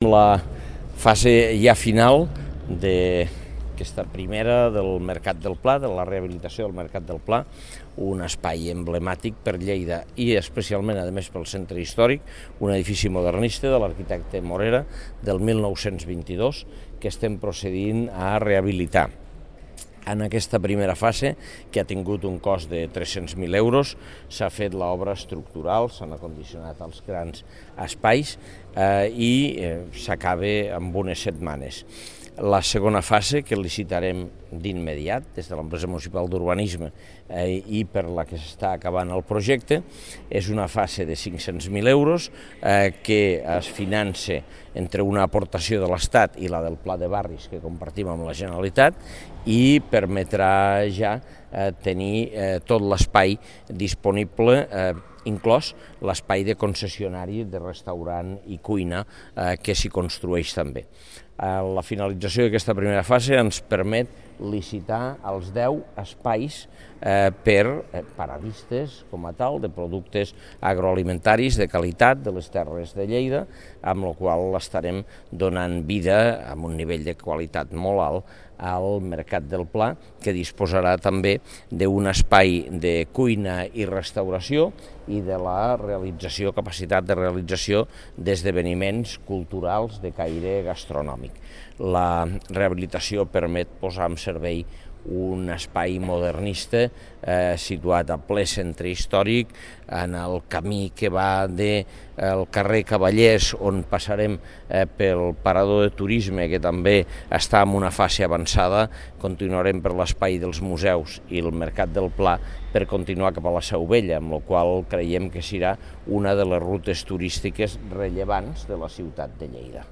La fase ja final d'aquesta primera del Mercat del Pla, de la rehabilitació del Mercat del Pla, un espai emblemàtic per Lleida i especialment, a més, pel centre històric, un edifici modernista de l'arquitecte Morera del 1922 que estem procedint a rehabilitar. En aquesta primera fase, que ha tingut un cost de 300.000 euros, s'ha fet l'obra estructural, s'han acondicionat els grans espais i s'acaba amb unes setmanes. La segona fase, que licitarem d'immediat des de l'empresa municipal d'urbanisme i per la que s'està acabant el projecte, és una fase de 500.000 euros que es finança entre una aportació de l'Estat i la del Pla de Barris que compartim amb la Generalitat i permetrà ja tenir tot l'espai disponible, inclòs l'espai de concessionari de restaurant i cuina que s'hi construeix també. La finalització d'aquesta primera fase ens permet licitar els 10 espais per paradistes com a tal, de productes agroalimentaris de qualitat de les terres de Lleida, amb la qual estarem donant vida amb un nivell de qualitat molt alt al Mercat del Pla, que disposarà també d'un espai de cuina i restauració i de la capacitat de realització d'esdeveniments culturals de caire gastronòmic. La rehabilitació permet posar en servei un espai modernista situat a ple centre històric, en el camí que va del carrer Cavallers, on passarem pel parador de turisme, que també està en una fase avançada, continuarem per l'espai dels museus i el Mercat del Pla per continuar cap a la Seu Vella, amb la qual creiem que serà una de les rutes turístiques rellevants de la ciutat de Lleida.